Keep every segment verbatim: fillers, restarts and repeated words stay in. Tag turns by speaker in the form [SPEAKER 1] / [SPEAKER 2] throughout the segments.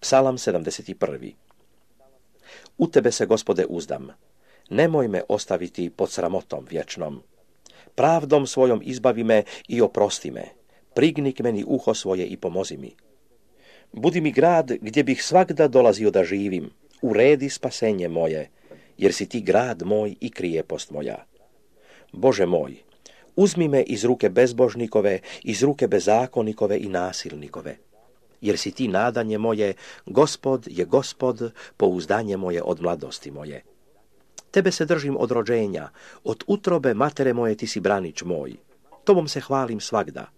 [SPEAKER 1] Psalam sedamdeset prvi. U tebe se, Gospode, uzdam. Nemoj me ostaviti pod sramotom vječnom. Pravdom svojom izbavi me i oprosti me. Prigni k meni uho svoje i pomozi mi. Budi mi grad gdje bih svagda dolazio da živim. Uredi spasenje moje, jer si ti grad moj i krijepost moja. Bože moj, uzmi me iz ruke bezbožnikove, iz ruke bezakonikove i nasilnikove. Jer si ti nadanje moje, Gospod je Gospod, pouzdanje moje od mladosti moje. Tebe se držim od rođenja, od utrobe matere moje ti si branič moj. Tobom se hvalim svagda.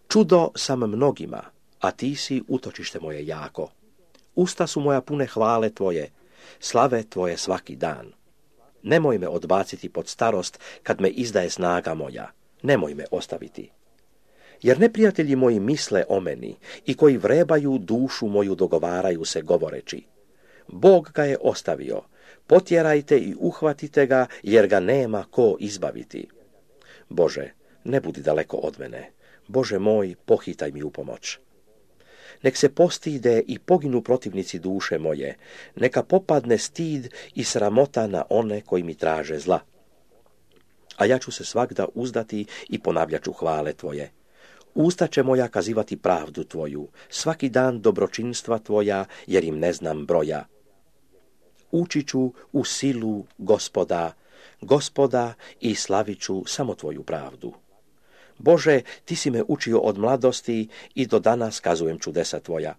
[SPEAKER 1] Čudo sam mnogima, a ti si utočište moje jako. Usta su moja pune hvale tvoje, slave tvoje svaki dan. Nemoj me odbaciti pod starost kad me izdaje snaga moja. Nemoj me ostaviti. Jer neprijatelji moji misle o meni i koji vrebaju dušu moju dogovaraju se govoreći. Bog ga je ostavio, potjerajte i uhvatite ga jer ga nema ko izbaviti. Bože, ne budi daleko od mene. Bože moj, pohitaj mi u pomoć. Nek se postide i poginu protivnici duše moje, neka popadne stid i sramota na one koji mi traže zla. A ja ću se svagda uzdati i ponavljat ću hvale tvoje. Usta će moja kazivati pravdu tvoju, svaki dan dobročinstva tvoja, jer im ne znam broja. Ući ću u silu Gospoda, Gospoda i slavit ću samo tvoju pravdu. Bože, ti si me učio od mladosti i do danas kazujem čudesa tvoja.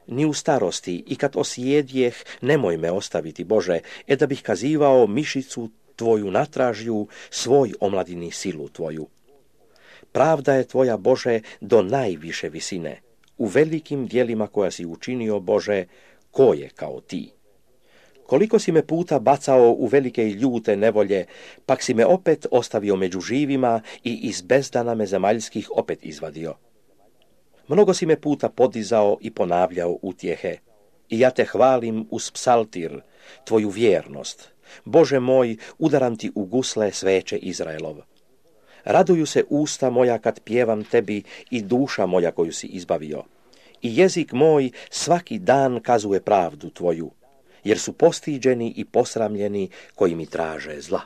[SPEAKER 1] Ni u starosti i kad osjedjeh, nemoj me ostaviti, Bože, e da bih kazivao mišicu tvoju natražju, svoj omladini silu tvoju. Pravda je tvoja, Bože, do najviše visine. U velikim dijelima koja si učinio, Bože, ko je kao ti? Koliko si me puta bacao u velike i ljute nevolje, pak si me opet ostavio među živima i iz bezdana me zemaljskih opet izvadio. Mnogo si me puta podizao i ponavljao utjehe. I ja te hvalim uz psaltir, tvoju vjernost. Bože moj, udaram ti u gusle sveće Izraelov. Raduju se usta moja kad pjevam tebi i duša moja koju si izbavio. I jezik moj svaki dan kazuje pravdu tvoju, jer su postiđeni i posramljeni koji mi traže zla.